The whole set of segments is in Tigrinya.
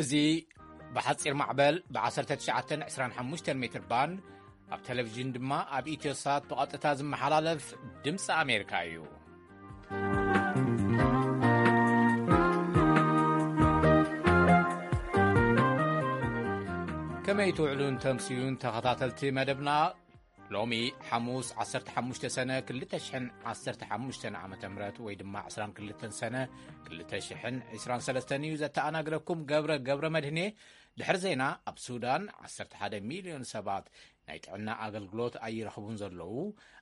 እዚ ብሓጺር ማዕበል ብ19 25 ሜትር ባንድ፣ ኣብ ቴሌቪዥን ድማ ኣብ ኢትዮሳት ብቐጥታ ዝመሓላለፍ ድምፂ ኣሜሪካ እዩ። ከመይ ትውዕሉን ተምስዩን ተኸታተልቲ መደብና? ሎሚ ሓሙስ 15 ሰነ 2015 ዓ ም ወይ ድማ 22 ሰነ 2023 እዩ። ዘተኣናግደኩም ገብረ ገብረ መድህኔ። ድሕሪ ዜና፣ ኣብ ሱዳን 11 ሚልዮን ሰባት ናይ ጥዕና ኣገልግሎት ኣይረኽቡን ዘለዉ፣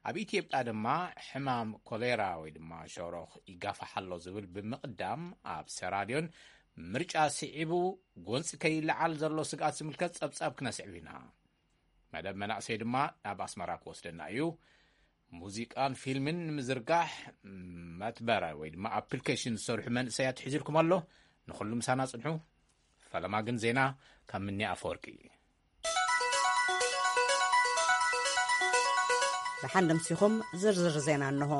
ኣብ ኢትዮጵያ ድማ ሕማም ኮሌራ ወይ ድማ ሸሮኽ ይጋፋሕ ኣሎ ዝብል ብምቕዳም፣ ኣብ ሰራልዮን ምርጫ ስዒቡ ጎንፂ ከይለዓል ዘሎ ስግኣት ዝምልከት ጸብጻብ ክነስዕብ ኢና። መደብ መናእሰይ ድማ ናብ ኣስመራ ክወስደና እዩ። ሙዚቃን ፊልምን ንምዝርጋሕ መትበረ ወይ ድማ ኣፕሊኬሽን ዝሰርሑ መንእሰያት ሒዝልኩም ኣሎ። ንኹሉ ምሳና ጽንሑ። ፈለማ ግን ዜና ካብ ምኒ ኣፈወርቂ። ደሓን ደምሲኹም ዝርዝር ዜና እንሆ።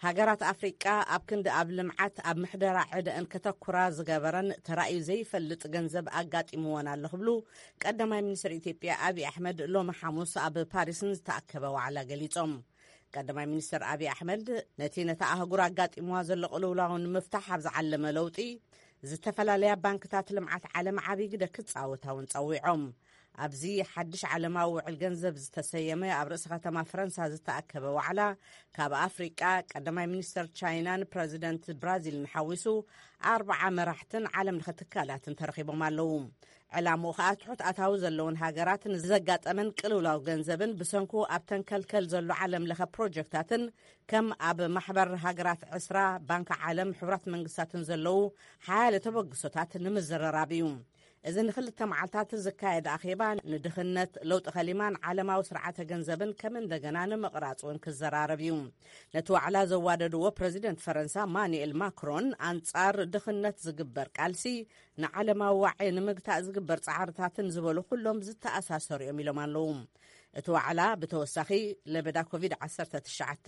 ሃገራት ኣፍሪቃ ኣብ ክንዲ ኣብ ልምዓት ኣብ ምሕደራ ዕደአን ከተኩራ ዝገበረን ተራእዩ ዘይፈልጥ ገንዘብ ኣጋጢምወን ኣሎ ክብሉ ቀዳማይ ሚኒስትር ኢትዮጵያ ኣብይ ኣሕመድ ሎሚ ሓሙስ ኣብ ፓሪስን ዝተኣከበ ዋዕላ ገሊጾም። ቀዳማይ ሚኒስትር ኣብይ ኣሕመድ ነቲ ነታ ኣህጉር ኣጋጢምዋ ዘሎ ቅልውላው ንምፍታሕ ኣብ ዝዓለመ ለውጢ ዝተፈላለያ ባንክታት ልምዓት ዓለም ዓብዪ ግደ ክጻወታ እውን ጸዊዖም። ኣብዚ ሓድሽ ዓለማዊ ውዕል ገንዘብ ዝተሰየመ ኣብ ርእሲ ከተማ ፈረንሳ ዝተኣከበ ዋዕላ፣ ካብ ኣፍሪቃ ቀዳማይ ሚኒስተር ቻይናን ፕረዚደንት ብራዚልን ሓዊሱ ኣርብዓ መራሕትን ዓለም ለኸ ትካላትን ተረኺቦም ኣለዉ። ዕላምኡ ከኣ ትሑት ኣታዊ ዘለውን ሃገራት ንዘጋጠመን ቅልውላው ገንዘብን ብሰንኩ ኣብ ተንከልከል ዘሎ ዓለም ለኸ ፕሮጀክታትን ከም ኣብ ማሕበር ሃገራት ዕስራ፣ ባንክ ዓለም፣ ሕቡራት መንግስታትን ዘለዉ ሓያለ ተበግሶታት ንምዝርራብ እዩ። እዚ ንክልተ መዓልታት ዝካየድ ኣኼባ ንድኽነት፣ ለውጢ ከሊማን ዓለማዊ ስርዓተ ገንዘብን ከም እንደገና ንምቕራጽ እውን ክዘራረብ እዩ። ነቲ ዋዕላ ዘዋደድዎ ፕረዚደንት ፈረንሳ ማኑኤል ማክሮን፣ ኣንጻር ድኽነት ዝግበር ቃልሲ፣ ንዓለማዊ ዋዒ ንምግታእ ዝግበር ጻዕርታትን ዝበሉ ኩሎም ዝተኣሳሰሩ እዮም ኢሎም ኣለዉ። እቲ ዋዕላ ብተወሳኺ ለበዳ ኮቪድ ዓሰርተ ትሽዓተ፣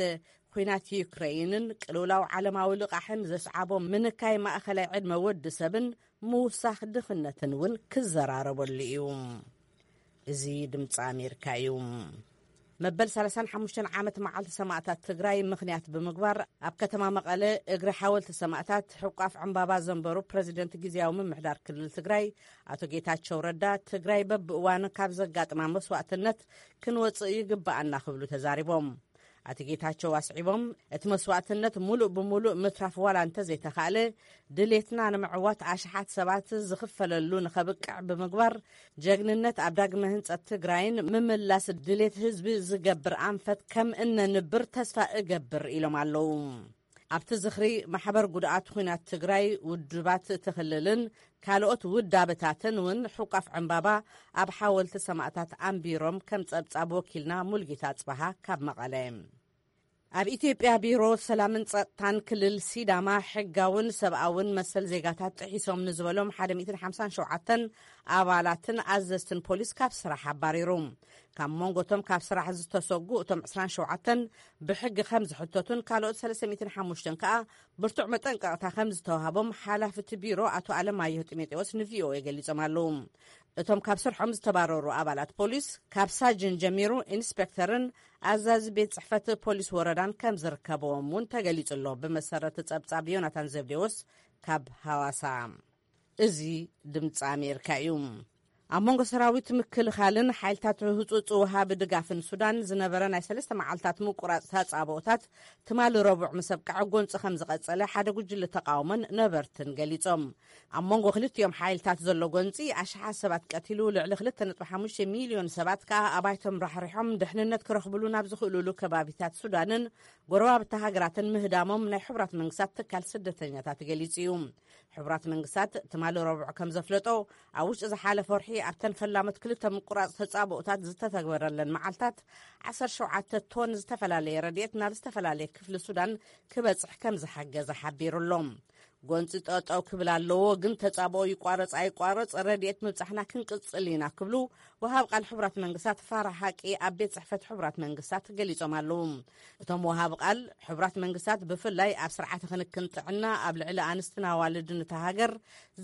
ኲናት ዩክረይንን ቅልውላው ዓለማዊ ልቓሕን ዘስዓቦ ምንካይ ማእኸላይ ዕድመ ወዲ ሰብን ምውሳኽ ድኽነትን እውን ክዘራረበሉ እዩ። እዚ ድምፂ ኣሜሪካ እዩ። መበል ሰላሳን ሓሙሽተን ዓመት መዓልቲ ሰማእታት ትግራይ ምኽንያት ብምግባር፣ ኣብ ከተማ መቐለ እግሪ ሓወልቲ ሰማእታት ሕቋፍ ዕምባባ ዘንበሩ ፕረዚደንት ግዝያዊ ምምሕዳር ክልል ትግራይ ኣቶ ጌታቸው ረዳ፣ ትግራይ በብእዋኑ ካብ ዘጋጥማ መስዋእትነት ክንወፅእ ይግበኣና ክብሉ ተዛሪቦም። ኣቶ ጌታቸው ኣስዒቦም፣ እቲ መስዋእትነት ሙሉእ ብሙሉእ ምትራፍ ዋላ እንተዘይተኻእለ፣ ድሌትና ንምዕዋት ኣሽሓት ሰባት ዝኽፈለሉ ንኸብቅዕ ብምግባር፣ ጀግንነት ኣብ ዳግመ ህንጸት ትግራይን ምምላስ ድሌት ህዝቢ ዝገብር ኣንፈት ከም እነንብር ተስፋ እገብር ኢሎም ኣለዉ። ኣብቲ ዝኽሪ፣ ማሕበር ጉድኣት ኲናት ትግራይ፣ ውድባት እቲ ክልልን ካልኦት ውዳበታትን እውን ሕቋፍ ዕምባባ ኣብ ሓወልቲ ሰማእታት ኣንቢሮም ከም ጸብጻብ ወኪልና ሙልጌታ ጽባሃ ካብ መቐለ። ኣብ ኢትዮጵያ ቢሮ ሰላምን ጸጥታን ክልል ሲዳማ፣ ሕጋውን ሰብኣውን መሰል ዜጋታት ጥሒሶም ንዝበሎም ሓደ ሚእትን ሓምሳን ሸውዓተን ኣባላትን ኣዘዝትን ፖሊስ ካብ ስራሕ ኣባሪሩ። ካብ መንጎቶም ካብ ስራሕ ዝተሰጉ እቶም ዕስራን ሸውዓተን ብሕጊ ከም ዝሕተቱን ካልኦት ሰለስተ ሚእትን ሓሙሽተን ከኣ ብርቱዕ መጠንቀቕታ ከም ዝተዋህቦም ሓላፊ እቲ ቢሮ ኣቶ ኣለማየሁ ጢሞቴዎስ ንቪኦኤ ገሊጾም ኣለዉ። እቶም ካብ ስርሖም ዝተባረሩ ኣባላት ፖሊስ፣ ካብ ሳጅን ጀሚሩ ኢንስፔክተርን ኣዛዚ ቤት ጽሕፈት ፖሊስ ወረዳን ከም ዝርከብዎም እውን ተገሊጹ ኣሎ። ብመሰረት ጸብጻብ ዮናታን ዘብዴዎስ ካብ ሃዋሳ። እዚ ድምፂ ኣሜሪካ እዩ። ኣብ መንጎ ሰራዊት ምክልኻልን ሓይልታት ህጹጽ ወሃቢ ድጋፍን ሱዳን ዝነበረ ናይ ሰለስተ መዓልታት ምቁራጽ ተጻብኦታት፣ ትማሊ ረቡዕ ምስ ኣብቅዐ፣ ጎንጺ ከም ዝቐጸለ ሓደ ጉጅለ ተቃውሞን ነበርትን ገሊጾም። ኣብ መንጎ ክልቲኦም ሓይልታት ዘሎ ጎንጺ ኣሽሓት ሰባት ቀቲሉ፣ ልዕሊ ክልተ ነጥቢ ሓሙሽተ ሚልዮን ሰባት ከኣ ኣባይቶም ራሕሪሖም ድሕንነት ክረኽብሉ ናብ ዝኽእሉሉ ከባቢታት ሱዳንን ጎረባብቲ ሃገራትን ምህዳሞም ናይ ሕቡራት መንግስታት ትካል ስደተኛታት ገሊጹ እዩ። ሕቡራት መንግስታት ትማሊ ረቡዕ ከም ዘፍለጦ፣ ኣብ ውሽጢ ዝሓለፈ ወርሒ ኣብተን ፈላሞት ክልተ ምቁራጽ ተጻብኦታት ዝተተግበረለን መዓልታት፣ ዓሰርተ ሸውዓተ ቶን ዝተፈላለየ ረድኤት ናብ ዝተፈላለየ ክፍሊ ሱዳን ክበጽሕ ከም ዝሓገዘ ሓቢሩ ኣሎ። ጎንፂ ጠጠው ክብል ኣለዎ፣ ግን ተጻብኦ ይቋረጽ ኣይቋረጽ ረድኤት ምብጻሕና ክንቅጽል ኢና ክብሉ ወሃብ ቃል ሕቡራት መንግስታት ፋራ ሓቂ ኣብ ቤት ጽሕፈት ሕቡራት መንግስታት ገሊጾም ኣለዉ። እቶም ወሃብ ቃል ሕቡራት መንግስታት ብፍላይ ኣብ ስርዓተ ክንክን ጥዕና ኣብ ልዕሊ ኣንስትን ኣዋልድን እታ ሃገር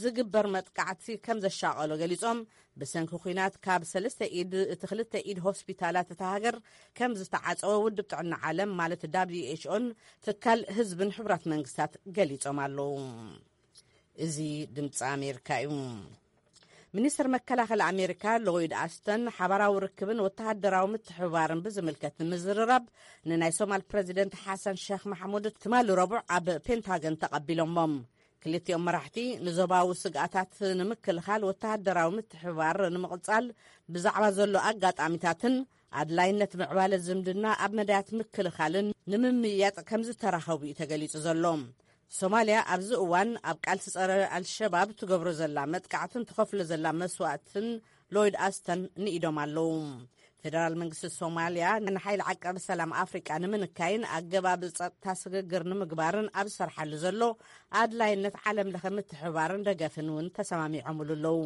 ዝግበር መጥቃዕቲ ከም ዘሻቐሎ ገሊጾም፣ ብሰንኪ ኲናት ካብ ሰለስተ ኢድ እቲ ክልተ ኢድ ሆስፒታላት እታ ሃገር ከም ዝተዓጸወ ውድብ ጥዕና ዓለም ማለት ዳብሊው ኤች ኦን ትካል ህዝብን ሕቡራት መንግስታት ገሊጾም ኣለዉ። እዚ ድምፂ ኣሜሪካ እዩ። ሚኒስትር መከላኸሊ ኣሜሪካ ሎይድ ኣስተን ሓባራዊ ርክብን ወተሃደራዊ ምትሕብባርን ብዝምልከት ንምዝርራብ ንናይ ሶማል ፕረዚደንት ሓሰን ሸኽ ማሕሙድ ትማሊ ረቡዕ ኣብ ፔንታገን ተቐቢሎሞም። ክልቲኦም መራሕቲ ንዞባዊ ስግኣታት ንምክልኻል ወተሃደራዊ ምትሕብባር ንምቕጻል ብዛዕባ ዘሎ ኣጋጣሚታትን ኣድላይነት ምዕባለ ዝምድና ኣብ መዳያት ምክልኻልን ንምምይያጥ ከም ዝተራኸቡ እዩ ተገሊጹ ዘሎ። ሶማልያ ኣብዚ እዋን ኣብ ቃልሲ ጸረ ኣልሸባብ ትገብሮ ዘላ መጥቃዕትን ትኸፍሎ ዘላ መስዋእትን ሎይድ ኣስተን ንኢዶም ኣለዉ። ፌደራል መንግስቲ ሶማልያ ንሓይሊ ዓቃቢ ሰላም ኣፍሪቃ ንምንካይን ኣገባብ ጸጥታ ስግግር ንምግባርን ኣብ ዝሰርሓሉ ዘሎ ኣድላይነት ዓለም ለኸ ምትሕባርን ደገፍን እውን ተሰማሚዖምሉ ኣለዉ።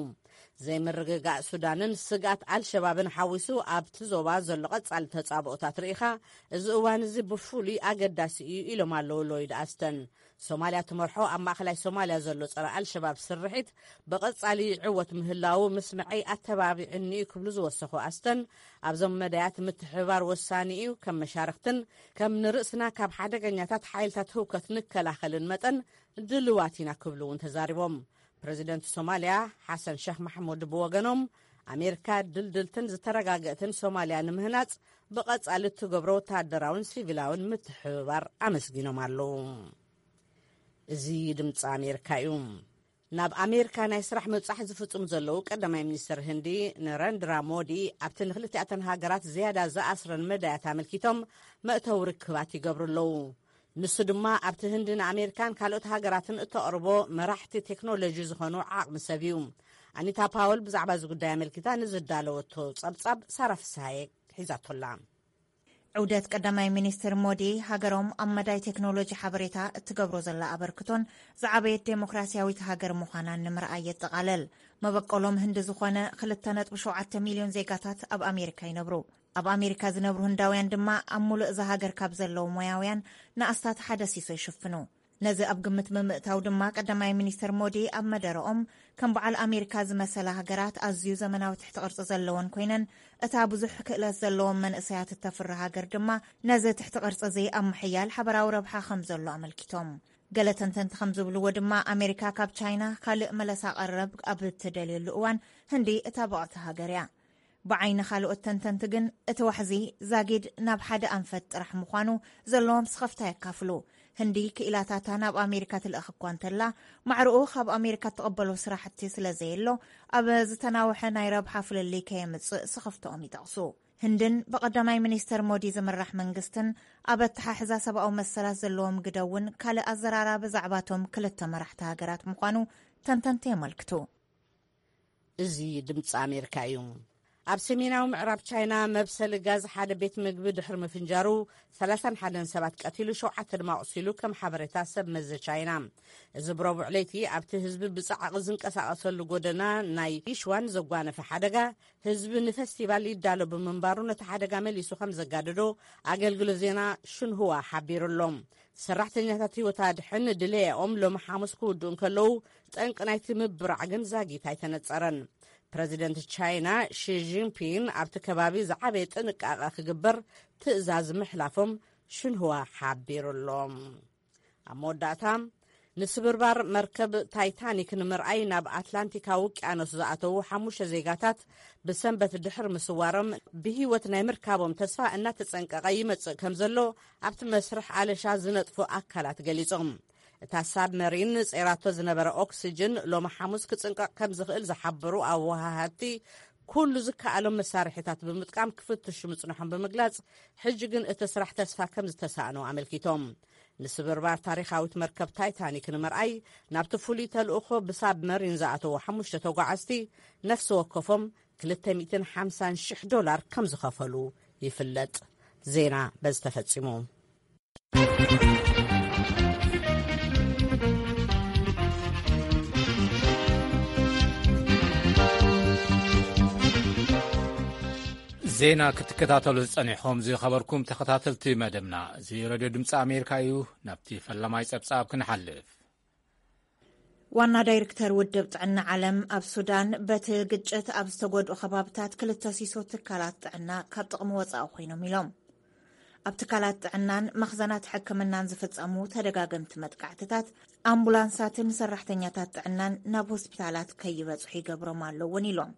ዘይምርግጋእ ሱዳንን ስግኣት ኣልሸባብን ሓዊሱ ኣብቲ ዞባ ዘሎ ቀጻሊ ተጻብኦታት ርኢኻ፣ እዚ እዋን እዚ ብፍሉይ ኣገዳሲ እዩ ኢሎም ኣለዉ ሎይድ ኣስተን። ሶማልያ ትመርሖ ኣብ ማእኸላይ ሶማልያ ዘሎ ጸረ ኣልሸባብ ስርሒት ብቐጻሊ ይዕወት ምህላዉ ምስምዐይ ኣተባቢዕኒ እዩ ክብሉ ዝወሰኹ ኣስተን፣ ኣብዞም መዳያት ምትሕብባር ወሳኒ እዩ፣ ከም መሻርክትን ከም ንርእስና ካብ ሓደገኛታት ሓይልታት ህውከት ንከላኸልን መጠን ድልዋት ኢና ክብሉ እውን ተዛሪቦም። ፕረዚደንት ሶማልያ ሓሰን ሸኽ ማሕሙድ ብወገኖም ኣሜሪካ ድልድልትን ዝተረጋገእትን ሶማልያ ንምህናጽ ብቐጻሊ እትገብሮ ወተሃደራውን ሲቪላውን ምትሕብባር ኣመስጊኖም ኣለዉ። እዚ ድምፂ ኣሜሪካ እዩ። ናብ ኣሜሪካ ናይ ስራሕ ምብጻሕ ዝፍጽሙ ዘለዉ ቀዳማይ ሚኒስትር ህንዲ ነረንድራ ሞዲ ኣብቲ ንክልቲኣተን ሃገራት ዝያዳ ዝኣስረን መዳያት ኣመልኪቶም መእተዊ ርክባት ይገብሩ ኣለዉ። ንሱ ድማ ኣብቲ ህንዲ ንኣሜሪካን ካልኦት ሃገራትን እተቕርቦ መራሕቲ ቴክኖሎጂ ዝኾኑ ዓቕሚ ሰብ እዩ። ኣኒታ ፓወል ብዛዕባ እዚ ጉዳይ ኣመልኪታ ንዝዳለወቶ ጸብጻብ ሳራ ፍስሃየ ሒዛቶላ። ዑደት ቀዳማይ ሚኒስትር ሞዲ ሃገሮም ኣብ መዳይ ቴክኖሎጂ ሓበሬታ እትገብሮ ዘላ ኣበርክቶን ዝዓበየት ዴሞክራሲያዊት ሃገር ምዃናን ንምርኣይ የጠቓለል። መበቆሎም ህንዲ ዝኾነ ክልተ ነጥቢ ሸውዓተ ሚልዮን ዜጋታት ኣብ ኣሜሪካ ይነብሩ። ኣብ ኣሜሪካ ዝነብሩ ህንዳውያን ድማ ኣብ ሙሉእ እዛ ሃገር ካብ ዘለዉ ሞያውያን ንኣስታት ሓደ ሲሶ ይሽፍኑ። ነዚ ኣብ ግምት ብምእታው ድማ ቀዳማይ ሚኒስትር ሞዲ ኣብ መደረኦም ከም በዓል ኣሜሪካ ዝመሰላ ሃገራት ኣዝዩ ዘመናዊ ትሕቲ ቅርጺ ዘለወን ኮይነን እታ ብዙሕ ክእለት ዘለዎም መንእሰያት እተፍሪ ሃገር ድማ ነዚ ትሕቲ ቅርጺ እዚ ኣብ ምሕያል ሓበራዊ ረብሓ ከም ዘሎ ኣመልኪቶም። ገለ ተንተንቲ ከም ዝብልዎ ድማ ኣሜሪካ ካብ ቻይና ካልእ መለሳ ቀረብ ኣብ እትደልየሉ እዋን ህንዲ እታ ብቕዕቲ ሃገር እያ። ብዓይኒ ካልኦት ተንተንቲ ግን እቲ ዋሕዚ ዛጊድ ናብ ሓደ ኣንፈት ጥራሕ ምዃኑ ዘለዎም ስኸፍታ የካፍሉ። ህንዲ ክኢላታታ ናብ ኣሜሪካ ትልእኽ እኳ እንተላ ማዕርኡ ካብ ኣሜሪካ ትቕበሎ ስራሕቲ ስለ ዘየሎ ኣብ ዝተናውሐ ናይ ረብሓ ፍልልይ ከየምጽእ ስኸፍትኦም ይጠቕሱ። ህንድን ብቐዳማይ ሚኒስተር ሞዲ ዝምራሕ መንግስትን ኣብ ኣተሓሕዛ ሰብኣዊ መሰላት ዘለዎም ግደ እውን ካልእ ኣዘራራቢ ዛዕባቶም ክልተ መራሕቲ ሃገራት ምዃኑ ተንተንቲ የመልክቱ። እዚ ድምፂ ኣሜሪካ እዩ። ኣብ ሰሜናዊ ምዕራብ ቻይና መብሰሊ ጋዝ ሓደ ቤት ምግቢ ድሕሪ ምፍንጃሩ ሰላሳን ሓደን ሰባት ቀቲሉ ሸውዓተ ድማ ኣቑሲሉ ከም ሓበሬታ ሰብ መዚ ቻይና። እዚ ብረቡዕ ለይቲ ኣብቲ ህዝቢ ብጻዕቒ ዝንቀሳቐሰሉ ጎደና ናይ ይሽዋን ዘጓነፈ ሓደጋ ህዝቢ ንፈስቲቫል ይዳሎ ብምንባሩ ነቲ ሓደጋ መሊሱ ከም ዘጋደዶ ኣገልግሎት ዜና ሽንሁዋ ሓቢሩ ኣሎ። ሰራሕተኛታት ህይወት ኣድሕን ድለያኦም ሎሚ ሓሙስ ክውድኡ እንከለዉ ጠንቂ ናይቲ ምብራዕ ግን ዛጊት ኣይተነጸረን። ፕረዚደንት ቻይና ሺ ጂንፒን ኣብቲ ከባቢ ዝዓበየ ጥንቃቐ ክግበር ትእዛዝ ምሕላፎም ሽንሁዋ ሓቢሩ ኣሎ። ኣብ መወዳእታ ንስብርባር መርከብ ታይታኒክ ንምርኣይ ናብ ኣትላንቲካዊ ውቅያኖስ ዝኣተዉ ሓሙሽተ ዜጋታት ብሰንበት ድሕሪ ምስዋሮም ብህይወት ናይ ምርካቦም ተስፋ እናተጸንቀቐ ይመጽእ ከም ዘሎ ኣብቲ መስርሕ ኣለሻ ዝነጥፉ ኣካላት ገሊጾም። እታ ሳብመሪን ጸይራቶ ዝነበረ ኦክስጅን ሎሚ ሓሙስ ክጽንቀቕ ከም ዝኽእል ዝሓበሩ ኣወሃሃድቲ ኩሉ ዝከኣሎም መሳርሒታት ብምጥቃም ክፍትሹ ምጽንሖም ብምግላጽ ሕጂ ግን እቲ ስራሕ ተስፋ ከም ዝተሳእኖ ኣመልኪቶም። ንስብርባር ታሪኻዊት መርከብ ታይታኒክ ንምርኣይ ናብቲ ፍሉይ ተልእኾ ብሳብመሪን ዝኣተዉ ሓሙሽተ ተጓዓዝቲ ነፍሲ ወከፎም ክልተ ሚእትን ሓምሳን ሽሕ ዶላር ከም ዝኸፈሉ ይፍለጥ። ዜና በዚ ተፈጺሙ። ዜና ክትከታተሉ ዝጸኒሕኹም ዝኸበርኩም ተኸታተልቲ መደብና፣ እዚ ሬድዮ ድምፂ ኣሜሪካ እዩ። ናብቲ ፈላማይ ጸብጻብ ክንሓልፍ። ዋና ዳይሬክተር ውድብ ጥዕና ዓለም ኣብ ሱዳን፣ በቲ ግጭት ኣብ ዝተጎድኡ ከባብታት ክልተ ሲሶ ትካላት ጥዕና ካብ ጥቕሚ ወጻኢ ኮይኖም ኢሎም። ኣብ ትካላት ጥዕናን መኽዘናት ሕክምናን ዝፍጸሙ ተደጋገምቲ መጥቃዕትታት፣ ኣምቡላንሳትን ሰራሕተኛታት ጥዕናን ናብ ሆስፒታላት ከይበጽሑ ይገብሮም ኣሎ እውን ኢሎም።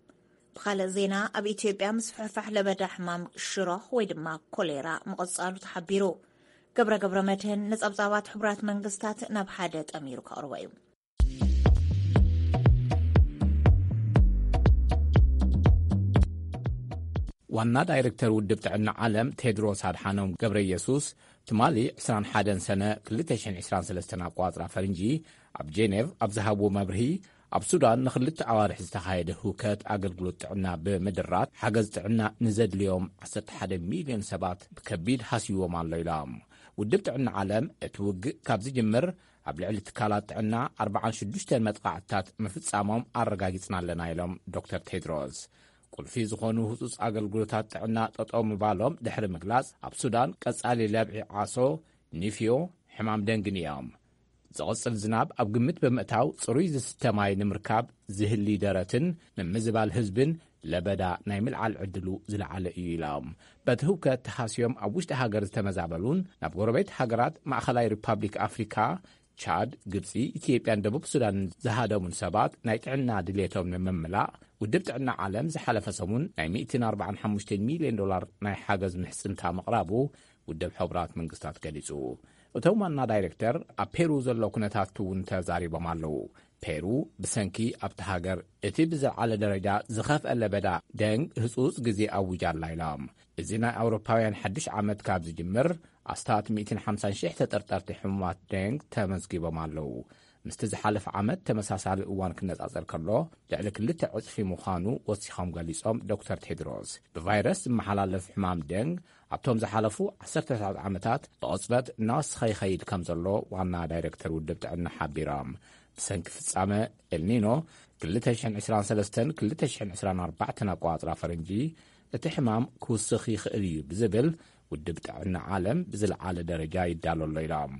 ብኻልእ ዜና፣ ኣብ ኢትዮጵያ ምስፍሕፋሕ ለበዳ ሕማም ሽሮኽ ወይ ድማ ኮሌራ ምቕጻሉ ተሓቢሩ። ገብረ ገብረ መድህን ንጸብጻባት ሕቡራት መንግስታት ናብ ሓደ ጠሚሩ ከቕርቦ እዩ። ዋና ዳይሬክተር ውድብ ጥዕና ዓለም ቴድሮስ ኣድሓኖም ገብረ ኢየሱስ፣ ትማሊ ዕስራን ሓደን ሰነ ክልተ ሽሕን ዕስራን ሰለስተን ኣቋጽራ ፈርንጂ ኣብ ጄኔቭ ኣብ ዝሃብዎ መብርሂ፣ ኣብ ሱዳን ንኽልተ ኣዋርሕ ዝተኻየደ ህውከት ኣገልግሎት ጥዕና ብምድራት ሓገዝ ጥዕና ንዘድልዮም ዓሰርተ ሓደ ሚልዮን ሰባት ብከቢድ ሃስይዎም ኣሎ ኢሎም። ውድብ ጥዕና ዓለም እቲ ውግእ ካብ ዝጅምር ኣብ ልዕሊ ትካላት ጥዕና ኣርባዓን ሽዱሽተን መጥቓዕትታት ምፍጻሞም ኣረጋጊጽና ኣለና ኢሎም ዶክተር ቴድሮስ። ቁልፊ ዝኾኑ ህጹጽ ኣገልግሎታት ጥዕና ጠጠው ምባሎም ድሕሪ ምግላጽ፣ ኣብ ሱዳን ቀጻሊ ለብዒ ዓሶ፣ ኒፍዮ፣ ሕማም ደንግን እዮም። ዝቕጽል ዝናብ ኣብ ግምት ብምእታው፣ ጽሩይ ዝስተ ማይ ንምርካብ ዝህሊ ደረትን ምምዝባል ህዝብን ለበዳ ናይ ምልዓል ዕድሉ ዝለዓለ እዩ ኢሎም። በቲ ህውከት ተሃስዮም ኣብ ውሽጢ ሃገር ዝተመዛበሉን ናብ ጎረቤት ሃገራት ማእኸላይ ሪፓብሊክ ኣፍሪካ፣ ቻድ፣ ግብፂ፣ ኢትዮጵያን ደቡብ ሱዳንን ዝሃደሙን ሰባት ናይ ጥዕና ድሌቶም ንምምላእ ውድብ ጥዕና ዓለም ዝሓለፈ ሰሙን ናይ ሚእትን ኣርባዓን ሓሙሽተን ሚልዮን ዶላር ናይ ሓገዝ ምሕፅንታ ምቕራቡ ውድብ ሕቡራት መንግስታት ገሊፁ። እቶም ዋና ዳይሬክተር ኣብ ፔሩ ዘሎ ኩነታት እውን ተዛሪቦም ኣለዉ። ፔሩ ብሰንኪ ኣብቲ ሃገር እቲ ብዝለዓለ ደረጃ ዝኸፍአ ለበዳ ደንግ ህጹጽ ግዜ ኣዊጃ ኣላ ኢሎም። እዚ ናይ ኣውሮፓውያን ሓድሽ ዓመት ካብ ዝጅምር ኣስታት ሚእትን ሓምሳን ሽሕ ተጠርጠርቲ ሕሙማት ደንግ ተመዝጊቦም ኣለዉ። ምስቲ ዝሓለፈ ዓመት ተመሳሳሊ እዋን ክነጻጸር ከሎ ልዕሊ ክልተ ዕጽፊ ምዃኑ ወሲኾም ገሊጾም ዶክተር ቴድሮስ። ብቫይረስ ዝመሓላለፍ ሕማም ደንግ ኣብቶም ዝሓለፉ ዓሰርተ ዓመታት ብቕጽበት እናወሰኸ ይኸይድ ከም ዘሎ ዋና ዳይሬክተር ውድብ ጥዕና ሓቢሮም። ብሰንኪ ፍጻመ ኤልኒኖ ክልተ ሽሕን ዕስራን ሰለስተን ክልተ ሽሕን ዕስራን ኣርባዕተን ኣቋጽራ ፈረንጂ እቲ ሕማም ክውስኽ ይኽእል እዩ ብዝብል ውድብ ጥዕና ዓለም ብዝለዓለ ደረጃ ይዳሎ ኣሎ ኢሎም።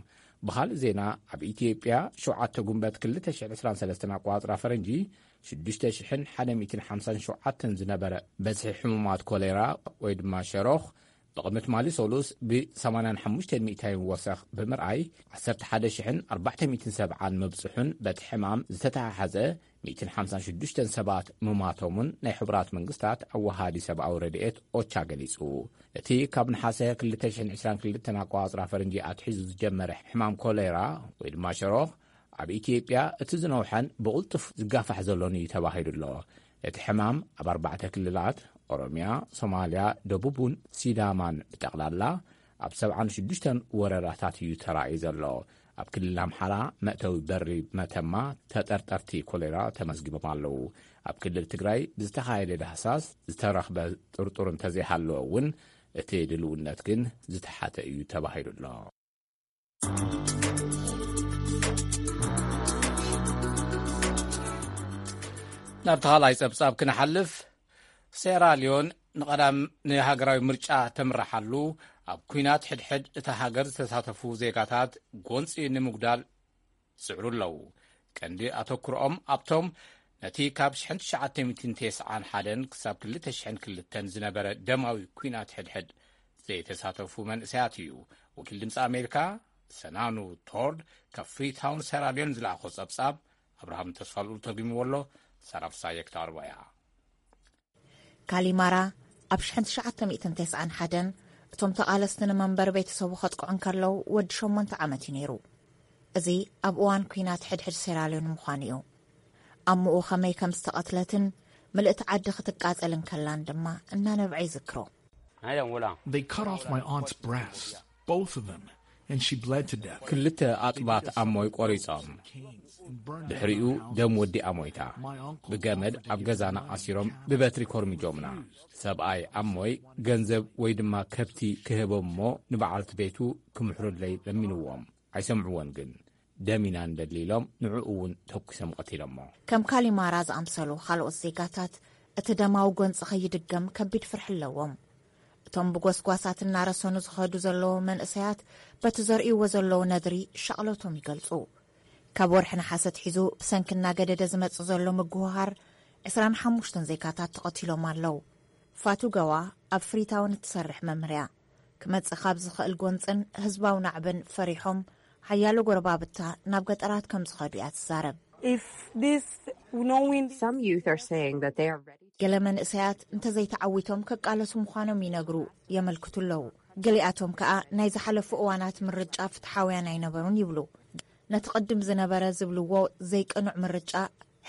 ብኻልእ ዜና፣ ኣብ ኢትዮጵያ ሸውዓተ ጉንበት ክልተ ሽሕን ዕስራን ሰለስተን ኣቋጽራ ፈረንጂ ሽዱሽተ ሽሕን ሓደ ሚእትን ሓምሳን ሸውዓተን ዝነበረ በዝሒ ሕሙማት ኮሌራ ወይ ድማ ሸሮኽ ብቕድሚ ትማሊ ሰሉስ ብ ሰማንያን ሓሙሽተን ሚእታይን ወሰኽ ብምርኣይ ዓሰርተ ሓደ ሽሕን ኣርባዕተ ሚእትን ሰብዓን ምብጽሑን በቲ ሕማም ዝተተሓሓዘ ሚእትን ሓምሳን ሽዱሽተን ሰባት ምማቶምን ናይ ሕቡራት መንግስታት ኣወሃዲ ሰብኣዊ ረድኤት ኦቻ ገሊጹ። እቲ ካብ ነሓሰ ክልተ ሽሕን ዕስራን ክልተን ኣቋጽራ ፈረንጂ ኣትሒዙ ዝጀመረ ሕማም ኮሌራ ወይ ድማ ሸሮኽ ኣብ ኢትዮጵያ እቲ ዝነውሐን ብቕልጡፍ ዝጋፋሕ ዘሎን እዩ ተባሂሉ ኣሎ። እቲ ሕማም ኣብ ኣርባዕተ ክልላት ኦሮሚያ፣ ሶማልያ፣ ደቡብን ሲዳማን ብጠቕላላ ኣብ ሰብዓን ሽዱሽተን ወረዳታት እዩ ተራእዩ ዘሎ። ኣብ ክልል ኣምሓራ መእተዊ በሪ መተማ ተጠርጠርቲ ኮሌራ ተመዝጊቦም ኣለዉ። ኣብ ክልል ትግራይ ብዝተኻየደ ዳህሳስ ዝተረኽበ ጥርጡር እንተዘይሃለወ እውን እቲ ድልውነት ግን ዝተሓተ እዩ ተባሂሉ ኣሎ። ናብቲ ካልኣይ ጸብጻብ ክንሓልፍ፣ ሴራ ሊዮን ንቐዳም ንሃገራዊ ምርጫ ተምርሓሉ ኣብ ኲናት ሕድሕድ እታ ሃገር ዝተሳተፉ ዜጋታት ጎንጺ ንምጉዳል ዝጽዕሩ ኣለዉ። ቀንዲ ኣተኩሮኦም ኣብቶም ነቲ ካብ ሽሕን ትሽዓተ ሚእትን ተስዓን ሓደን ክሳብ ክልተ ሽሕን ክልተን ዝነበረ ደማዊ ኲናት ሕድሕድ ዘይተሳተፉ መንእሰያት እዩ። ወኪል ድምፂ ኣሜሪካ ሰናኑ ቶርድ ካብ ፍሪታውን ሴራሊዮን ዝለኣኾ ጸብጻብ ኣብርሃም ተስፋልኡል ተርጉምዎ ኣሎ። ሳራ ፍሳየ ክተቕርቦ እያ። ካሊማራ ኣብ ሽሕን ትሽዓተ ሚእትን ተስዓን ሓደን እቶም ተቓለስቲ ንመንበሪ ቤተሰቡ ከጥቅዑ እንከለዉ ወዲ ሸሞንተ ዓመት እዩ ነይሩ። እዚ ኣብ እዋን ኲናት ሕድሕድ ሴራልዮን ምዃኑ እዩ። ኣምኡ ኸመይ ከም ዝተቐትለትን ምልእቲ ዓዲ ክትቃጸል እንከላን ድማ እናነብዐ ይዝክሮ። They cut off my aunt's breasts, both of them, and she bled to death. ክልተ ኣጥባት ኣሞይ ቆሪጾም፣ ድሕሪኡ ደም ወዲኣ ሞይታ። ብገመድ ኣብ ገዛና ኣሲሮም ብበትሪ ኮርሚጆምና። ሰብኣይ ኣሞይ ገንዘብ ወይ ድማ ከብቲ ክህቦም እሞ ንበዓልቲ ቤቱ ክምሕሩለይ ለሚንዎም። ኣይሰምዕዎን ግን። ደም ኢና ንደሊ ኢሎም ንዕኡ እውን ተኩሶም ቀቲሎሞ። ከም ካሊማራ ዝኣምሰሉ ካልኦት ዜጋታት እቲ ደማዊ ጎንፂ ከይድገም ከቢድ ፍርሒ ኣለዎም። እቶም ብጎስጓሳት እናረሰኑ ዝኸዱ ዘለዉ መንእሰያት በቲ ዘርእይዎ ዘለዉ ነድሪ ሻቕሎቶም ይገልጹ። ካብ ወርሒ ነሓሰ ኣትሒዙ ብሰንኪ እናገደደ ዝመጽእ ዘሎ ምጉህሃር ዕስራን ሓሙሽተን ዜጋታት ተቐቲሎም ኣለዉ። ፋቱ ገዋ ኣብ ፍሪታውን እትሰርሕ መምህርያ ክመጽእ ካብ ዝኽእል ጎንጽን ህዝባዊ ናዕብን ፈሪሖም ሓያሎ ጎረባብታ ናብ ገጠራት ከም ዝኸዱ እያ ትዛረብ። If this no wind Some youth are saying that they are ready. ገለ መንእሰያት እንተዘይተዓዊቶም ከቃለሱ ምዃኖም ይነግሩ፣ የመልክቱ ኣለዉ። ገሊኣቶም ከኣ ናይ ዝሓለፉ እዋናት ምርጫ ፍትሓውያን ኣይነበሩን ይብሉ። ነቲ ቅድም ዝነበረ ዝብልዎ ዘይቅኑዕ ምርጫ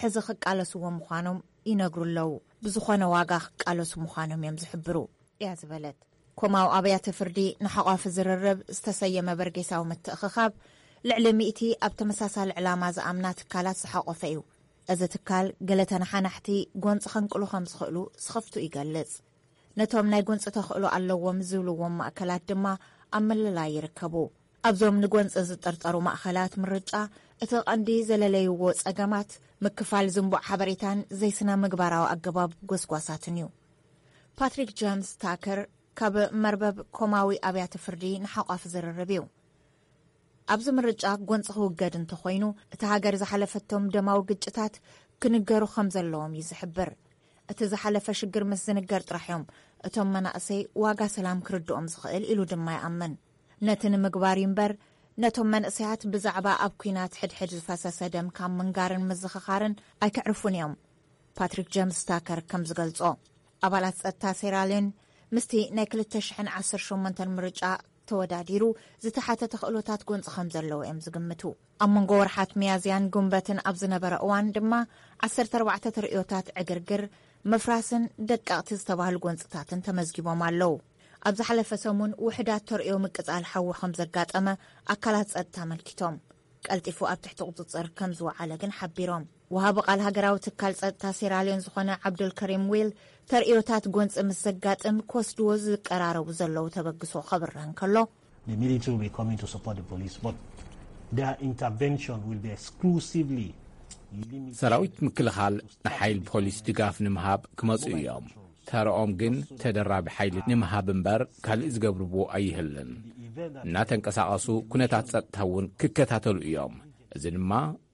ሕዚ ክቃለስዎ ምዃኖም ይነግሩ ኣለዉ። ብዝኾነ ዋጋ ክቃለሱ ምዃኖም እዮም ዝሕብሩ እያ ዝበለት። ኮማዊ ኣብያተ ፍርዲ ንሓቋፊ ዝርርብ ዝተሰየመ በርጌሳዊ ምትእኽኻብ ልዕሊ ሚእቲ ኣብ ተመሳሳሊ ዕላማ ዝኣምና ትካላት ዝሓቆፈ እዩ። እዚ ትካል ገለ ተነሓናሕቲ ጎንፂ ከንቅሉ ከም ዝኽእሉ ስኽፍቱ ይገልጽ። ነቶም ናይ ጎንፂ ተኽእሎ ኣለዎም ዝብልዎም ማእከላት ድማ ኣብ ምልላይ ይርከቡ። ኣብዞም ንጎንፂ ዝጥርጠሩ ማእኸላት ምርጫ እቲ ቀንዲ ዘለለይዎ ጸገማት ምክፋል ዝንቡዕ ሓበሬታን ዘይስነ ምግባራዊ ኣገባብ ጎስጓሳትን እዩ። ፓትሪክ ጀምስ ታከር ካብ መርበብ ኮማዊ ኣብያተ ፍርዲ ንሓቋፍ ዝርርብ እዩ። ኣብዚ ምርጫ ጎንፂ ክውገድ እንተኾይኑ እቲ ሃገር ዝሓለፈቶም ደማዊ ግጭታት ክንገሩ ከም ዘለዎም እዩ ዝሕብር። እቲ ዝሓለፈ ሽግር ምስ ዝንገር ጥራሕ እዮም እቶም መናእሰይ ዋጋ ሰላም ክርድኦም ዝኽእል ኢሉ ድማ ይኣምን። ነቲ ንምግባር እዩ እምበር ነቶም መንእሰያት ብዛዕባ ኣብ ኲናት ሕድሕድ ዝፈሰሰ ደም ካብ ምንጋርን ምዝኽኻርን ኣይክዕርፉን እዮም። ፓትሪክ ጀምስ ታከር ከም ዝገልጾ ኣባላት ጸጥታ ሴራልዮን ምስቲ ናይ ክልተ ሽሕን ዓሰርተ ሸሞንተን ምርጫ ተወዳዲሩ ዝተሓተ ተኽእሎታት ጎንፂ ከም ዘለዎ እዮም ዝግምቱ። ኣብ መንጎ ወርሓት ሚያዝያን ጉንበትን ኣብ ዝነበረ እዋን ድማ ዓሰርተ ኣርባዕተ ተርእዮታት ዕግርግር፣ ምፍራስን ደቀቕቲ ዝተባህሉ ጎንፅታትን ተመዝጊቦም ኣለዉ። ኣብ ዝሓለፈ ሰሙን ውሕዳት ተርእዮ ምቅጻል ሓዊ ከም ዘጋጠመ ኣካላት ጸጥታ ኣመልኪቶም። ቀልጢፉ ኣብ ትሕቲ ቁጽጽር ከም ዝወዓለ ግን ሓቢሮም። ወሃቢ ቃል ሃገራዊ ትካል ጸጥታ ሴራልዮን ዝኾነ ዓብዱልከሪም ዊል ተርእዮታት ጎንፂ ምስ ዘጋጥም ክወስድዎ ዝቀራረቡ ዘለዉ ተበግሶ ከብርህ እንከሎ፣ The military will be coming to support the police, but their intervention will be exclusively limited ሰራዊት ምክልኻል ንሓይል ፖሊስ ድጋፍ ንምሃብ ክመጹ እዮም። ተረኦም ግን ተደራቢ ሓይሊ ንምሃብ እምበር ካልእ ዝገብርዎ ኣይህልን። እናተንቀሳቐሱ ኩነታት ጸጥታ እውን ክከታተሉ እዮም። እዚ ድማ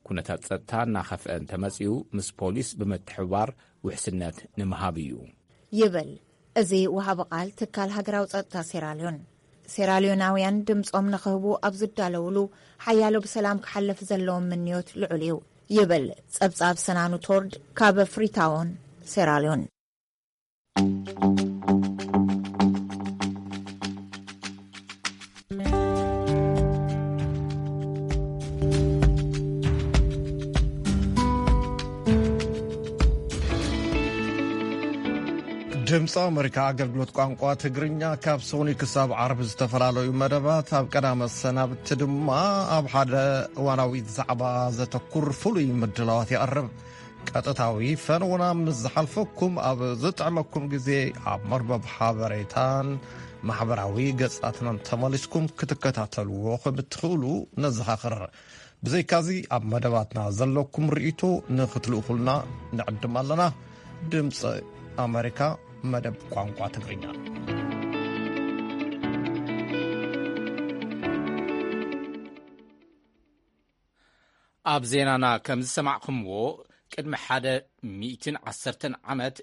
ኩነታት ጸጥታ እናኸፍአ እንተመጺኡ ምስ ፖሊስ ብምትሕብባር ውሕስነት ንምሃብ እዩ። ይብል እዚ ወሃቢ ቃል ትካል ሃገራዊ ጸጥታ ሴራልዮን። ሴራልዮናውያን ድምጾም ንኽህቡ ኣብ ዝዳለውሉ ሓያሎ ብሰላም ክሓልፍ ዘለዎም ምንዮት ልዑል እዩ ይብል ጸብጻብ ሰናኑ ቶርድ ካብ ፍሪታውን ሴራልዮን። ድምፂ ኣመሪካ ኣገልግሎት ቋንቋ ትግርኛ ካብ ሰኒ ክሳብ ዓርቢ ዝተፈላለዩ መደባት፣ ኣብ ቀዳመ ሰናብቲ ድማ ኣብ ሓደ እዋናዊ ዛዕባ ዘተኩር ፍሉይ ምድላዋት ይቐርብ። ቀጥታዊ ፈነውና ምስ ዝሓልፈኩም ኣብ ዝጥዕመኩም ግዜ ኣብ መርበብ ሓበሬታን ማሕበራዊ ገጻትናን ተመሊስኩም ክትከታተልዎ ከም እትኽእሉ ነዘኻኽር። ብዘይካዚ ኣብ መደባትና ዘለኩም ርእይቶ ንኽትልእኹልና ንዕድም ኣለና። ድምፂ ኣመሪካ መደብ ቋንቋ ትግርኛ። ኣብ ዜናና ከም ዝሰማዕኹምዎ ቅድሚ ሓደ ሚእትን ዓሰርተን ዓመት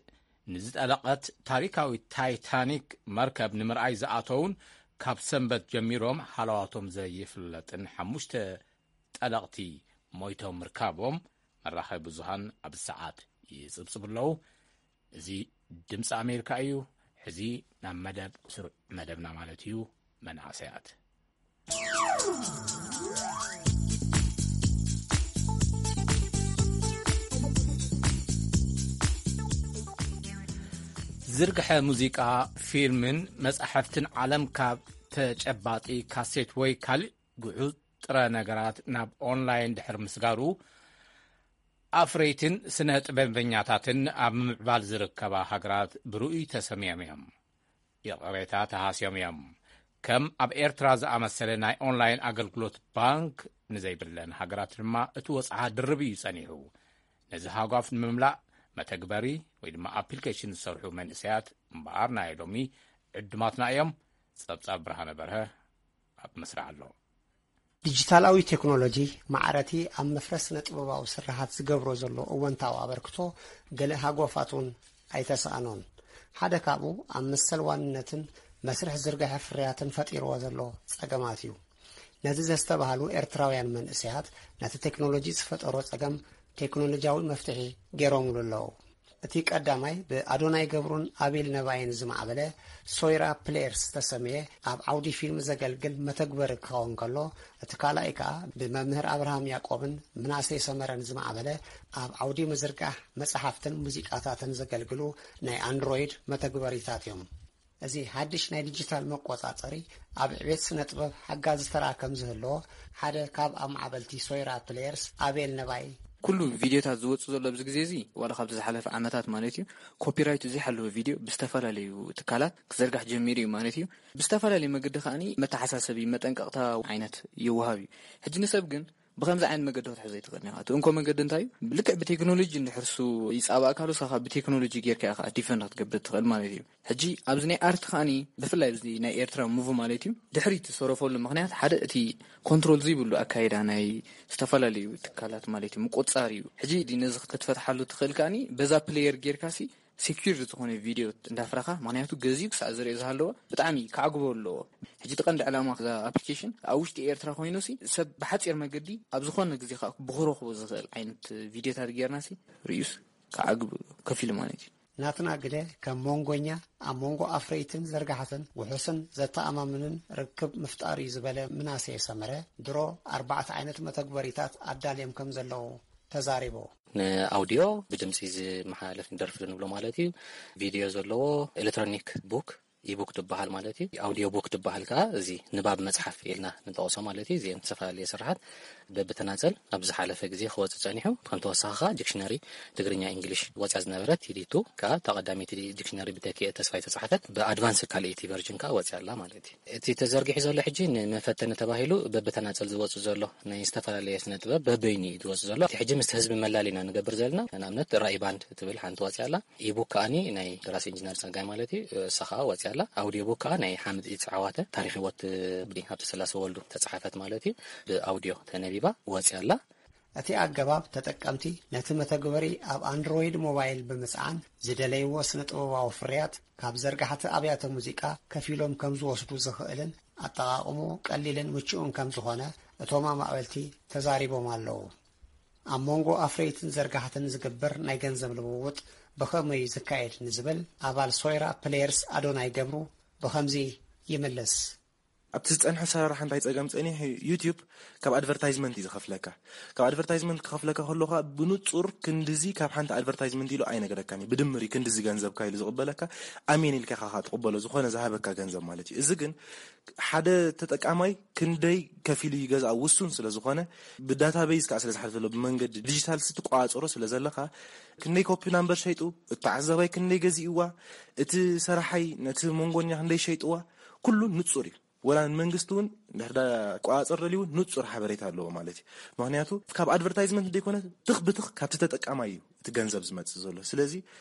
ንዝጠለቐት ታሪካዊት ታይታኒክ መርከብ ንምርኣይ ዝኣተውን ካብ ሰንበት ጀሚሮም ሃለዋቶም ዘይፍለጥን ሓሙሽተ ጠለቕቲ ሞይቶም ምርካቦም መራኸቢ ብዙሃን ኣብ ሰዓት ይጽብጽቡ ኣለዉ። እዚ ድምፂ ኣሜሪካ እዩ። ሕዚ ናብ መደብ ስሩዕ መደብና ማለት እዩ መንእሰያት። ዝርግሐ ሙዚቃ፣ ፊልምን መጻሕፍትን ዓለም ካብ ተጨባጢ ካሴት ወይ ካልእ ግዑዝ ጥረ ነገራት ናብ ኦንላይን ድሕሪ ምስጋሩ ኣፍረይትን ስነ ጥበበኛታትን ኣብ ምምዕባል ዝርከባ ሃገራት ብርኡይ ተሰምዮም እዮም። ይቕሬታ ተሃስዮም እዮም። ከም ኣብ ኤርትራ ዝኣመሰለ ናይ ኦንላይን ኣገልግሎት ባንክ ንዘይብለን ሃገራት ድማ እቲ ወጽዓ ድርብ እዩ ጸኒሑ። ነዚ ሃጓፍ ንምምላእ መተግበሪ ወይ ድማ ኣፕሊኬሽን ዝሰርሑ መንእሰያት እምበኣር ናይ ሎሚ ዕዱማትና እዮም። ጸብጻብ ብርሃነ በርሀ ኣብ መስርሕ ኣሎ። ዲጂታላዊ ቴክኖሎጂ ማዕረቲ ኣብ መፍረስ ስነ ጥበባዊ ስርሓት ዝገብሮ ዘሎ እወንታዊ ኣበርክቶ ገለ ሃጎፋት እውን ኣይተሳእኖን። ሓደ ካብኡ ኣብ መሰል ዋንነትን መስርሕ ዝርግሐ ፍርያትን ፈጢርዎ ዘሎ ጸገማት እዩ። ነዚ ዘስተባሃሉ ኤርትራውያን መንእሰያት ነቲ ቴክኖሎጂ ዝፈጠሮ ጸገም ቴክኖሎጂያዊ መፍትሒ ገይሮምሉ ኣለዉ። እቲ ቀዳማይ ብኣዶናይ ገብሩን ኣቤል ነባይን ዝማዕበለ ሶይራ ፕሌየርስ ዝተሰምየ ኣብ ዓውዲ ፊልም ዘገልግል መተግበሪ ክኸውን ከሎ፣ እቲ ካልኣይ ከኣ ብመምህር ኣብርሃም ያዕቆብን ምናሴ ሰመረን ዝማዕበለ ኣብ ዓውዲ ምዝርጋሕ መጽሓፍትን ሙዚቃታትን ዘገልግሉ ናይ ኣንድሮይድ መተግበሪታት እዮም። እዚ ሓድሽ ናይ ዲጂታል መቆጻጸሪ ኣብ ዕቤት ስነ ጥበብ ሓጋዚ ተራ ከም ዝህልዎ ሓደ ካብ ኣማዕበልቲ ሶይራ ፕሌየርስ ኣቤል ነባይ ኩሉ ቪድዮታት ዝወጽእ ዘሎ ኣብዚ ግዜ እዚ፣ ዋላ ካብቲ ዝሓለፈ ዓመታት ማለት እዩ፣ ኮፒራይቱ ዘይሓለወ ቪድዮ ብዝተፈላለዩ ትካላት ክዘርጋሕ ጀሚሩ እዩ ማለት እዩ። ብዝተፈላለዩ መገዲ ከኣኒ መተሓሳሰቢ፣ መጠንቀቕታ ዓይነት ይወሃብ እዩ። ሕጂ ንሰብ ግን ብኸምዚ ዓይነት መገዲ ክትሕዞ ኣይትኽእልን ኢኻ። እቲ እንኮ መገዲ እንታይ እዩ? ልክዕ ብቴክኖሎጂ እንድሕር እሱ ይጻባእካ ኣሎ፣ ንስኻ ብቴክኖሎጂ ጌርካ ኢኻ ዲፈንድ ክትገብር ትኽእል ማለት እዩ። ሕጂ ኣብዚ ናይ ኣርት ከኣኒ ብፍላይ ኣብዚ ናይ ኤርትራ ሙቭ ማለት እዩ፣ ድሕሪት ዝሰረፈሉ ምኽንያት ሓደ እቲ ኮንትሮል ዘይብሉ ኣካይዳ ናይ ዝተፈላለዩ ትካላት ማለት እዩ ምቁጽጻር እዩ። ሕጂ ነዚ ክትፈትሓሉ ትኽእል ከኣኒ በዛ ፕሌየር ጌርካሲ ሴኪር ዝኾነ ቪድዮ እንዳፍረኻ፣ ምኽንያቱ ገዚኡ ክሳዕ ዝርኢ ዝሃለወ ብጣዕሚ ከዕግቦ ኣለዎ። ሕጂ እቲ ቀንዲ ዕላማ እዛ ኣፕሊኬሽን ኣብ ውሽጢ ኤርትራ ኮይኑሲ ሰብ ብሓጺር መገዲ ኣብ ዝኾነ ግዜ ከዓ ብክረኽቦ ዝኽእል ዓይነት ቪድዮታት ጌርናሲ ርእዩስ ከዓግብ ከፊሉ ማለት እዩ። ናትና ግደ ከም መንጎኛ ኣብ መንጎ ኣፍረይትን ዘርጋሕትን ውሑስን ዘተኣማምንን ርክብ ምፍጣር እዩ ዝበለ ምናሴ ሰመረ፣ ድሮ ኣርባዕተ ዓይነት መተግበሪታት ኣዳልዮም ከም ዘለዉ ተዛሪቡ። ንኣውዲዮ ብድምፂ ዝመሓላለፍ ደርፊ ንብሎ ማለት እዩ። ቪድዮ ዘለዎ ኤሌክትሮኒክ ቡክ፣ ኢቡክ ትበሃል ማለት እዩ። ኣውዲዮ ቡክ ትበሃል ከዓ እዚ ንባብ መፅሓፍ ኢልና ንጠቕሶ ማለት እዩ። እዚአን ዝተፈላለየ ስራሓት በብተናፀል ኣብ ዝሓለፈ ግዜ ክወፅእ ፀኒሑ። ከም ተወሳኺ ከዓ ዲክሽነሪ ትግርኛ ኢንግሊሽ ወፅያ ዝነበረት ቲዲቱ ከዓ እታ ቀዳመይቲ ዲክሽነሪ ብተኪኤ ተስፋይ ተፃሓፈት ብኣድቫንስ ካልኣይቲ ቨርጅን ከዓ ወፅያ ኣላ ማለት እዩ። እቲ ተዘርጊሑ ዘሎ ሕጂ ንመፈተኒ ተባሂሉ በብተናፀል ዝወፅእ ዘሎ ናይ ዝተፈላለየ ስነ ጥበብ በበይኑ እዩ ዝወፅእ ዘሎ። እቲ ሕጂ ምስ ህዝቢ መላሊና ንገብር ዘለና ንኣብነት ራኢ ባንድ ትብል ሓንቲ ወፅያ ኣላ። ኢቡክ ከኣኒ ናይ ደራሲ ኢንጂነር ጸጋይ ማለት እዩ። እሳ ከኣ ወጽያ ኣላ። ኣውዲዮ ቡክ ከኣ ናይ ሓምድ ኢትስ ዓዋተ ታሪኽ ህይወት ብዲ ሃብተ ስላሴ ወልዱ ተጻሓፈት ማለት እዩ። ብኣውዲዮ ተነቢባ ወጽያ ኣላ። እቲ ኣገባብ ተጠቀምቲ ነቲ መተግበሪ ኣብ ኣንድሮይድ ሞባይል ብምጽዓን ዝደለይዎ ስነ ጥበባዊ ፍርያት ካብ ዘርጋሕቲ ኣብያተ ሙዚቃ ከፊሎም ከም ዝወስዱ ዝኽእልን ኣጠቓቕሙ ቀሊልን ምቹእን ከም ዝኾነ እቶም ኣማዕበልቲ ተዛሪቦም ኣለዉ። ኣብ መንጎ ኣፍረይትን ዘርጋሕትን ዝግበር ናይ ገንዘብ ልውውጥ ብኸመይ እዩ ዝካየድ ንዝብል ኣባል ሶይራ ፕሌየርስ ኣዶናይ ገብሩ ብኸምዚ ይምልስ። ኣብቲ ዝጸንሐ ኣሰራርሓ እንታይ ጸገም ጸኒሑ? ዩቲዩብ ካብ ኣድቨርታይዝመንት እዩ ዝኸፍለካ። ካብ ኣድቨርታይዝመንት ክኸፍለካ ከሎ ኸኣ ብንጹር ክንድዚ ካብ ሓንቲ ኣድቨርታይዝመንት ኢሉ ኣይነገረካን እዩ። ብድምር እዩ ክንድዚ ገንዘብካ ኢሉ ዝቕበለካ። ኣሜን ኢልካ ኢኻ ትቕበሎ፣ ዝኾነ ዝሃበካ ገንዘብ ማለት እዩ። እዚ ግን ሓደ ተጠቃማይ ክንደይ ከፊሉ ይገዝኣ ውሱን ስለ ዝኾነ፣ ብዳታቤዝ ከኣ ስለ ዝሓልፍ ዘሎ፣ ብመንገዲ ዲጂታል ስትቆጻጸሮ ስለ ዘለኻ፣ ክንደይ ኮፒ ናምበር ሸይጡ፣ እቲ ተዓዛባይ ክንደይ ገዚእዋ፣ እቲ ሰራሓይ ነቲ መንጎኛ ክንደይ ሸይጥዋ፣ ኩሉ ንጹር እዩ። ወላ ንመንግስቲ እውን እንድሕር ዳ ቆጻጸር ደልዩ እውን ንጹር ሓበሬታ ኣለዎ ማለት እዩ። ምኽንያቱ ካብ ኣድቨርታይዝመንት ዘይኮነ ትኽ ብትኽ ካብቲ ተጠቃማይ እዩ እቲ ገንዘብ ዝመጽእ ዘሎ። ስለዚ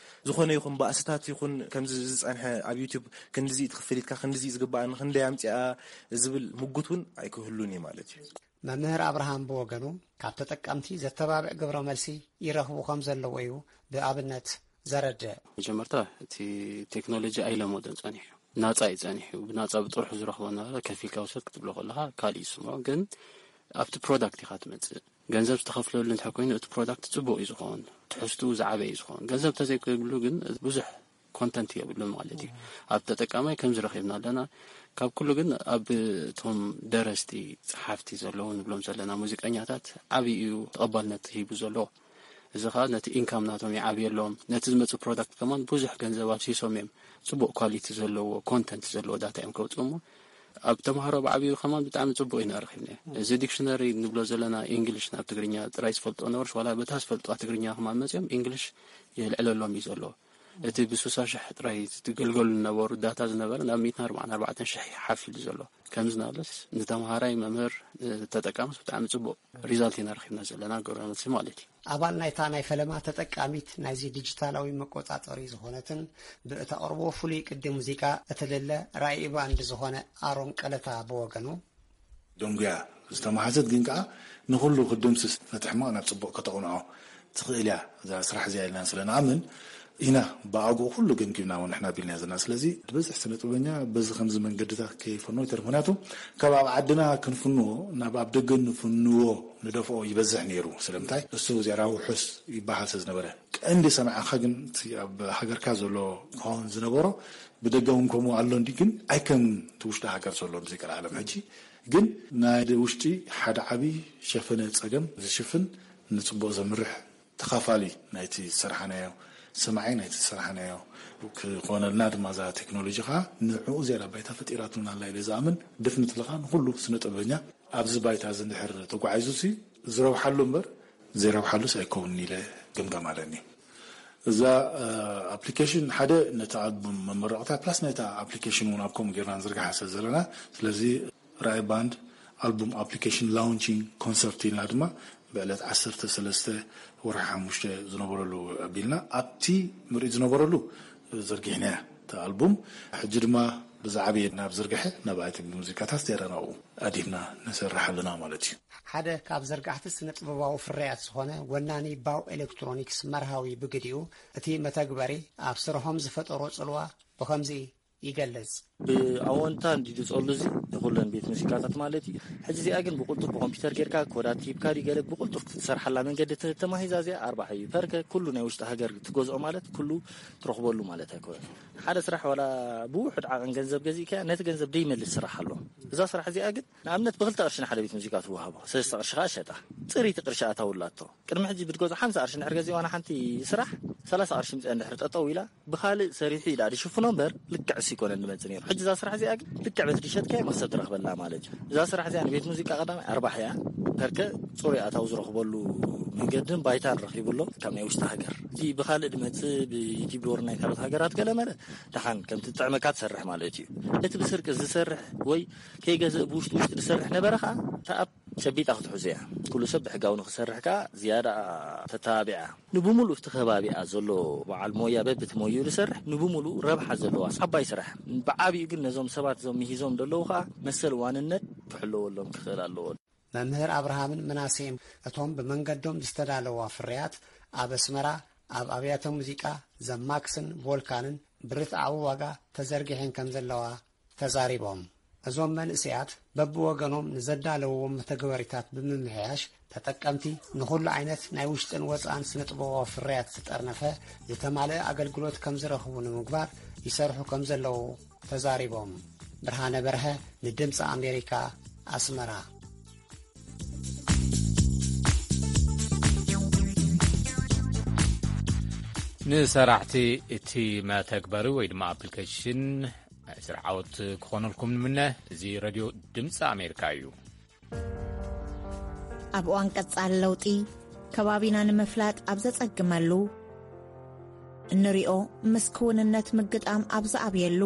ዝኾነ ይኹን ባእስታት ይኹን ከምዚ ዝጸንሐ ኣብ ዩቲዩብ ክንድዚ ትኽፍል ኢትካ፣ ክንድዚ ዝግባኣኒ፣ ክንደይ ኣምጺኣ ዝብል ምጉት እውን ኣይክህሉን እዩ ማለት እዩ። መምህር ኣብርሃም ብወገኑ ካብ ተጠቀምቲ ዘተባብዕ ግብረ መልሲ ይረኽቡ ከም ዘለዉ እዩ ብኣብነት ዘረድእ። መጀመርታ እቲ ቴክኖሎጂ ኣይለመዶን ጸኒሑ እዩ። ናጻ እዩ ጸኒሑ እዩ። ብናጻ ብጥርሑ ዝረኽቦ ነበረ፣ ከፊልካ ውሰድ ክትብሎ ከለኻ ካልእ ይስምዖ። ግን ኣብቲ ፕሮዳክት ኢኻ ትመጽእ። ገንዘብ ዝተኸፍለሉ እንተ ኮይኑ እቲ ፕሮዳክት ጽቡቕ እዩ ዝኸውን። ትሕዝትኡ ዝዓበየ እዩ ዝኸውን። ገንዘብ ተዘይክብሉ ግን ብዙሕ ኮንተንት የብሉ ማለት እዩ። ኣብ ተጠቃማይ ከምዚ ረኺብና ኣለና። ካብ ኩሉ ግን ኣብ እቶም ደረስቲ፣ ጸሓፍቲ ዘለዉ ንብሎም ዘለና ሙዚቀኛታት ዓብዪ እዩ ተቐባልነት ሂቡ ዘሎ። እዚ ኸኣ ነቲ ኢንካም ናቶም ይዓብየሎም። ነቲ ዝመጽእ ፕሮዳክት ከማን ብዙሕ ገንዘብ ኣፍሲሶም እዮም። ጽቡቕ ኳሊቲ ዘለዎ፣ ኮንተንት ዘለዎ ዳታ እዮም ከውጽኡ እሞ፣ ኣብ ተምሃሮ ብዓብዩ ከማን ብጣዕሚ ጽቡቕ ኢና ረኺብናዮ። እዚ ዲክሽነሪ ንብሎ ዘለና ኢንግሊሽ ናብ ትግርኛ ጥራይ ዝፈልጦ ነበርስ፣ ዋላ በታ ዝፈልጥዋ ትግርኛ ከማን መጺኦም ኢንግሊሽ የልዕለሎም እዩ ዘሎ። እቲ ብስሳ ሽሕ ጥራይ ዝገልገሉ ዝነበሩ ዳታ ዝነበረ ናብ ሚእትን ኣርባዓን ኣርባዕተን ሽሕ እዩ ሓፍ ኢሉ ዘሎ። ከምዚ ናለስ ንተምሃራይ፣ መምህር፣ ንተጠቃምስ ብጣዕሚ ጽቡቕ ሪዛልት ኢና ረኺብና ዘለና ግብረ መልሲ ማለት እዩ። ኣባል ናይታ ናይ ፈለማ ተጠቃሚት ናይዚ ዲጂታላዊ መቆጻጸሪ ዝኾነትን ብእተቕርቦ ፍሉይ ቅዲ ሙዚቃ እትልለ ራኢ ባንድ ዝኾነ ኣሮን ቀለታ ብወገኑ፣ ደንጉያ ዝተመሃዘት ግን ከኣ ንኹሉ ክድምስስ ነቲ ሕማቕ ናብ ጽቡቕ ከተቕንዖ ትኽእል እያ እዛ ስራሕ እዚኣ ኢልና ስለ ንኣምን ኢና ብኣግኡ ኩሉ ገምጊምና እውን ንሕና ቢልና ዘለና። ስለዚ ዝበዝሕ ስነ ጥበበኛ በዚ ከምዚ መንገድታት ከይፈኖ ይተርፍ። ምክንያቱ ካብ ኣብ ዓድና ክንፍንዎ ናብ ኣብ ደገ ንፍንዎ ንደፍኦ ይበዝሕ ነይሩ። ስለምንታይ እሱ ዜራ ውሑስ ይበሃል ስለ ዝነበረ ቀንዲ ሰማዕኻ ግን እቲ ኣብ ሃገርካ ዘሎ ክኸውን ዝነበሮ ብደገ እውን ከምኡ ኣሎ እንዲ ግን ኣይከም እቲ ውሽጢ ሃገር ዘሎ ሙዚቃ ዓለም ሕጂ ግን ናይ ውሽጢ ሓደ ዓቢ ሸፈነ ጸገም ዝሽፍን ንጽቡቕ ዘምርሕ ተኻፋሊ ናይቲ ዝሰራሕናዮ ሰማዒ ናይቲ ዝሰራሕናዮ ክኾነልና ድማ እዛ ቴክኖሎጂ ከዓ ንዕኡ ዝያዳ ባይታ ፈጢራትልና ኣላ ኢለ ዝኣምን። ደፍንትሊ ከዓ ንኩሉ ስነ ጥበበኛ ኣብዚ ባይታ እዚ እንድሕር ተጓዒዙ ሲ ዝረብሓሉ እምበር ዘይረብሓሉስ ኣይከውንን ኢለ ግምጋም ኣለኒ። እዛ ኣፕሊኬሽን ሓደ ነቲ ኣልቡም መመረቕታ ፕላስ ነታ ኣፕሊኬሽን እውን ኣብ ከምኡ ጌርና ንዝርግሓ ስለ ዘለና ስለዚ ራኢ ባንድ ኣልቡም ኣፕሊኬሽን ላውንቺንግ ኮንሰርት ኢልና ድማ ብዕለት ዓሰርተ ሰለስተ ወርሒ ሓሙሽተ ዝነበረሉ ኣቢልና ኣብቲ ምርኢት ዝነበረሉ ዘርጊሕናያ እቲ ኣልቡም። ሕጂ ድማ ብዛዕበየ ናብ ዝርግሐ ናብ ኣይቲ ሙዚቃታት ዜራናኡ ኣዲብና ንሰርሕ ኣለና ማለት እዩ። ሓደ ካብ ዘርጋሕቲ ስነ ጥበባዊ ፍርያት ዝኾነ ወናኒ ባው ኤሌክትሮኒክስ መርሃዊ ብግዲኡ እቲ መተግበሪ ኣብ ስርሖም ዝፈጠሮ ጽልዋ ብኸምዚ ይገልጽ። ብኣወንታ እንዲ ዝጸሉ እዚ ንኹለን ቤት ሙዚቃታት ማለት እዩ። ሕጂ እዚኣ ግን ብቁልጡፍ ብኮምፒውተር ጌርካ ኮዳት ሂብካ ድዩ ገለ ብቁልጡፍ ክትሰርሓላ መንገዲ ተ- ተማሂዛ እዚኣ ኣርባሕ እዩ ፐርከ ኩሉ ናይ ውሽጢ ሃገር ትገዝኦ ማለት ኩሉ ትረኽበሉ ማለት ኣይኮነን። ሓደ ስራሕ ዋላ ብውሑድ ዓቐን ገንዘብ ገዚእካያ ነቲ ገንዘብ ደይመልስ ስራሕ ኣሎ። እዛ ስራሕ እዚኣ ግን ንኣብነት ብክልተ ቅርሺ ንሓደ ቤት ሙዚቃ ትወሃቦ ሰለስተ ቅርሺ ከዓ ሸጣ ጽሪቲ ቅርሺ ኣታውላቶ። ቅድሚ ሕጂ ብትገዝኦ ሓምሳ ቅርሺ እንድሕር ገዚእዋ ንሓንቲ ስራሕ ሰላሳ ቅርሺ ምፅኣ እንድሕር ጠጠው ኢላ ብኻልእ ሰሪሑ ኢዳ ድሽፍኖ እምበር ልክዕ እሱ ይኮነን ድመፅእ ነይሩ። ሕጂ እዛ ስራሕ እዚኣ ግን ልክዕ በቲ ድሸጥካዮ መክሰብ ትረኽበላ ማለት እዩ። እዛ ስራሕ እዚኣ ንቤት ሙዚቃ ቀዳማይ ኣርባሕ እያ። ከርከ ፅሩይ ኣታዊ ዝረኽበሉ መንገድን ባይታን ረኺቡ ኣሎ ካብ ናይ ውሽጢ ሃገር። እቲ ብኻልእ ድመፅእ ብዩቲብ ዶር ናይ ካልኦት ሃገራት ገለ መለ ደሓን ከምቲ ጥዕመካ ትሰርሕ ማለት እዩ። እቲ ብስርቂ ዝሰርሕ ወይ ከይገዝእ ብውሽጢ ውሽጢ ዝሰርሕ ነበረ ከዓ ተኣብ ጨቢጣ ክትሕዞ እያ። ኩሉ ሰብ ብሕጋዊ ንክሰርሕ ከኣ ዝያዳ ተተባቢዓ። ንብምሉእ እቲ ከባቢኣ ዘሎ በዓል ሞያ በብቲ ሞይኡ ዝሰርሕ ንብምሉእ ረብሓ ዘለዋ ዓባይ ስራሕ። ብዓቢኡ ግን ነዞም ሰባት እዞም ምሂዞም ዘለዉ ከኣ መሰል ዋንነት ክሕለወሎም ክኽእል ኣለዎ። መምህር ኣብርሃምን ምናሴን እቶም ብመንገዶም ዝተዳለዋ ፍርያት ኣብ ኣስመራ ኣብ ኣብያተ ሙዚቃ ዘማክስን ቮልካንን ብርትዓዊ ዋጋ ተዘርጊሐን ከም ዘለዋ ተዛሪቦም። እዞም መንእሰያት በብወገኖም ንዘዳለውዎም መተግበሪታት ብምምሕያሽ ተጠቀምቲ ንኹሉ ዓይነት ናይ ውሽጥን ወፃእን ስነ ጥበባዊ ፍርያት ዝጠርነፈ ዝተማልአ ኣገልግሎት ከም ዝረኽቡ ንምግባር ይሰርሑ ከም ዘለዉ ተዛሪቦም። ብርሃነ በርሀ ንድምፂ ኣሜሪካ ኣስመራ። ንሰራሕቲ እቲ መተግበሪ ወይ ድማ ኣፕሊኬሽን ናይ ስራሕ ዓወት ክኾነልኩም ንምነ። እዚ ረድዮ ድምፂ ኣሜሪካ እዩ። ኣብ እዋን ቀጻሊ ለውጢ ከባቢና ንምፍላጥ ኣብ ዘጸግመሉ፣ እንሪኦ ምስ ክውንነት ምግጣም ኣብ ዝኣብየሉ፣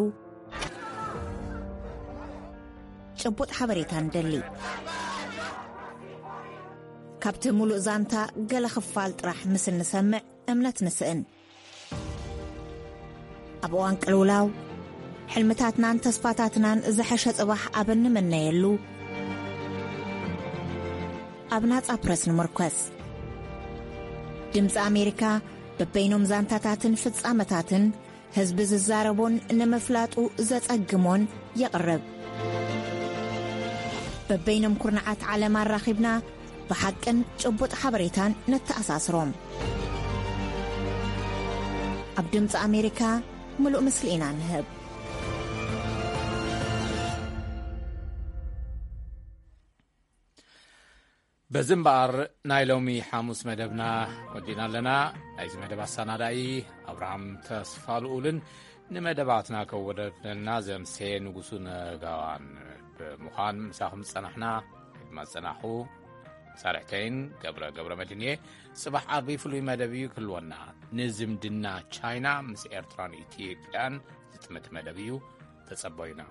ጭቡጥ ሓበሬታ ንደሊ። ካብቲ ሙሉእ ዛንታ ገለ ክፋል ጥራሕ ምስ እንሰምዕ እምነት ንስእን። ኣብ እዋን ቅልውላው፣ ሕልምታትናን ተስፋታትናን ዝሐሸ ጽባሕ ኣብ እንምነየሉ፣ ኣብ ናጻ ፕረስ ንምርኮስ። ድምጺ ኣሜሪካ በበይኖም ዛንታታትን ፍጻመታትን ህዝቢ ዝዛረቦን ንምፍላጡ ዘጸግሞን የቕርብ። በበይኖም ኩርናዓት ዓለም ኣራኺብና ብሓቅን ጭቡጥ ሓበሬታን ነተኣሳስሮም። ኣብ ድምፂ ኣሜሪካ ምሉእ ምስሊ ኢና ንህብ። በዚ እምበኣር ናይ ሎሚ ሓሙስ መደብና ወዲና ኣለና። ናይዚ መደብ ኣሰናዳኢ ኣብርሃም ተስፋ ልኡልን ንመደባትና ከወደደልና ዘምሴ ንጉሱ ነጋዋን ብምዃን ምሳኹም ዝጸናሕና ድማ ዝጸናሕኹ ሳርሕተይን ገብረ ገብረ መድህን እየ። ጽባሕ ዓቢ ፍሉይ መደብ እዩ ክህልወና። ንዝምድና ቻይና ምስ ኤርትራን ኢትዮጵያን ዝጥምት መደብ እዩ። ተጸበዩና።